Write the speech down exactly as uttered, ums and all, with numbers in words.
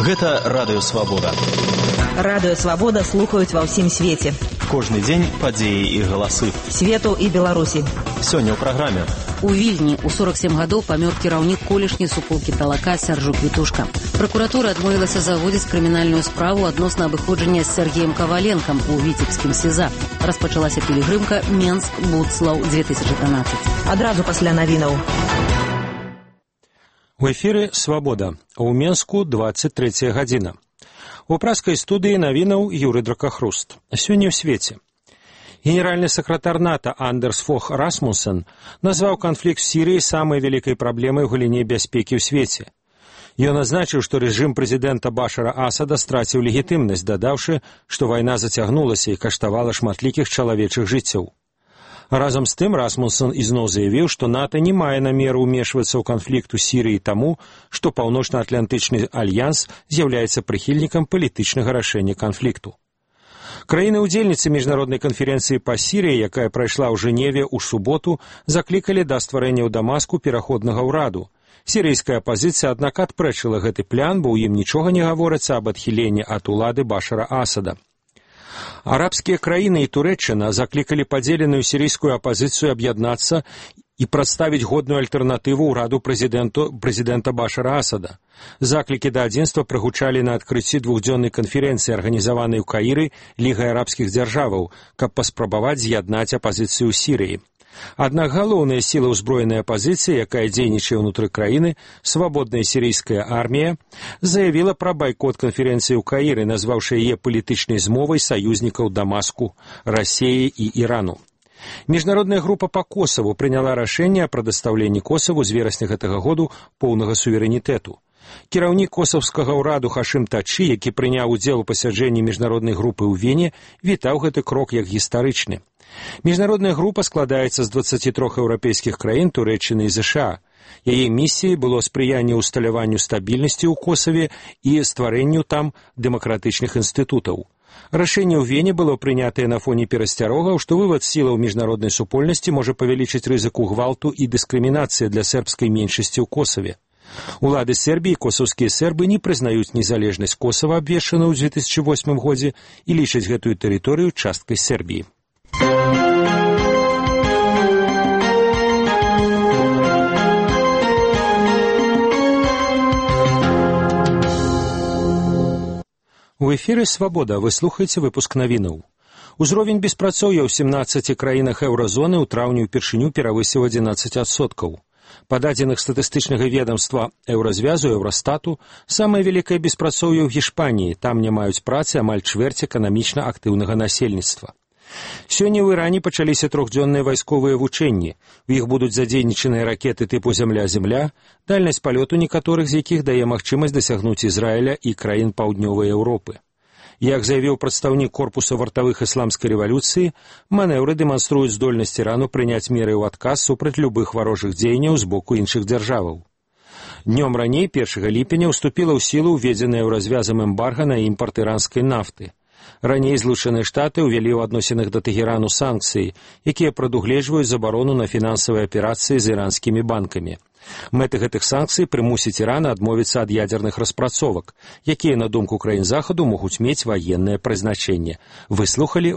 Гэта Радыё Свабода. Радыё Свабода слухаюць ва ўсім свеце. Кожны дзень падзеі і галасы. Свету і Беларусі. Сёння ў праграме. У Вільні ў сорок сем гадоў памёр кіраўнік колішняй суполкі Талака Сяржук Вітушка. Пракуратура адмовілася заводзіць крымінальную справу адносна абыходжання з Сергеем Каваленкам у віцебскім СІЗА. Распачалася пілігрымка Менск-Будслаў две тысячы трынаццаць. Адразу пасля навінаў. У эфіры «Свабода», а ў Менску двадцать третья гадзіна. У праскай студыі навінаў Юрый Дракахруст. Сёння ў свеце. Генеральны сакратар НАТО Андерс Фох Расмуссен назваў канфлікт з Сірыяй самай вялікай праблемай у галіне бяспекі ў свеце. Ён азначыў, што рэжым прэзідэнта Башара Асада страціў легітымнасць, дадаўшы, што вайна зацягнулася і каштавала шматлікіх чалавечых жыццяў. Разам з тым Расмуссен ізноў заявіў, што НАТО не мае намеру ўмешвацца ў канфлікт у Сірыі таму, што Паўночна-Атлантычны альянс з'яўляецца прыхільнікам палітычнага рашэння канфлікту. Краіны-удзельніцы міжнароднай канферэнцыі па Сірыі, якая прайшла ў Жэневе ў суботу, заклікалі да стварэння ў Дамаску пераходнага ўраду. Сірыйская апазіцыя, аднак, адпрэчыла гэты план, бо ў ім нічога не гаворыцца аб адхіленні ад улады Башара Асада. Арабскія краіны і Турэччына заклікалі падзеленую сірыйскую апазіцыю аб'яднацца і прадставіць годную альтэрнатыву ўраду прэзідэнта Башара Асада. Заклікі да адзінства прагучалі на адкрыцці двухдзённай канферэнцыі, арганізаванай у Каіры Лігай арабскіх дзяржаваў, каб паспрабаваць з'яднаць апазіцыю ў Сірыі. Аднак галоўная сіла ўзброенай апазіцыі, якая дзейнічае ўнутры краіны, свабодная сірыйская армія, заявіла пра байкот канферэнцыі ў Каіры, назваўшы яе палітычнай змовай саюзнікаў Дамаску, Расіі і Ірану. Міжнародная група па Косаву прыняла рашэнне о прадастаўленні Косаву з верасня гэтага году поўнага суверэнітэту. Кіраўнік косавскага ўраду Хашым Тачы, які прыняў удзел у пасяджэнні міжнароднай групы ў Вене, вітаў гэты крок як гістарычны. Міжнародная група складаецца з дваццаці трох еўрапейскіх краін, Турэччыны і ЗША. Яе місіяй было спрыянне ўсталяванню стабільнасці ў Косаве і стварэнню там дэмакратычных інстытутаў. Рашэнне ў Вене было прынятае на фоне перасцярогаў, што вывад сілаў міжнароднай супольнасці можа павялічыць рызыку гвалту і дыскрымінацыі для сербскай меншасці ў Косаве. Улады Сербіі, косаўскія сербы не прызнаюць незалежнасць Косава, абвешчаную ў две тысячы восьмым годзе, і лічаць гэтую тэрыторыю часткай Сербіі. У эфіры «Свабода» вы слухаеце выпуск навінаў. Узровень беспрацоўя ў сямнаццаці краінах еўразоны ў траўні ўпершыню перавысіў адзінаццаць адсоткаў. Па дадзеных статыстычнага ведамства Еўразвязу, Еўрастату, самае вялікае беспрацоўе ў Гішпаніі, там не маюць працы амаль чвэрць эканамічна актыўнага насельніцтва. Сёння ў Іране пачаліся трохдзённыя вайсковыя вучэнні. У іх будуць задзейнічаныя ракеты тыпу «Зямля-Зямля», дальнасць палёту некаторых з якіх дае магчымасць дасягнуць Ізраіля і краін паўднёвай Еўропы. Як заявіў прадстаўнік корпуса вартавых ісламскай рэвалюцыі, манеўры дэманструюць здольнасць Ірану прыняць меры ў адказ супраць любых варожых дзеянняў з боку іншых дзяржаваў. Днём раней, першага ліпеня, уступіла ў сілу ўведзеная Еўразвязам эмбарга на імпарт іранскай нафты. Раней Злучаныя Штаты ўвялі ў адносінах да Тэхерану санкцыі, якія прадугледжваюць забарону на фінансавыя аперацыі з іранскімі банкамі. Мэты гэтых санкцый прымусіць Іран адмовіцца ад ядзерных распрацовак, якія, на думку краін Захаду, могуць мець ваеннае прызначэнне. Выслухалі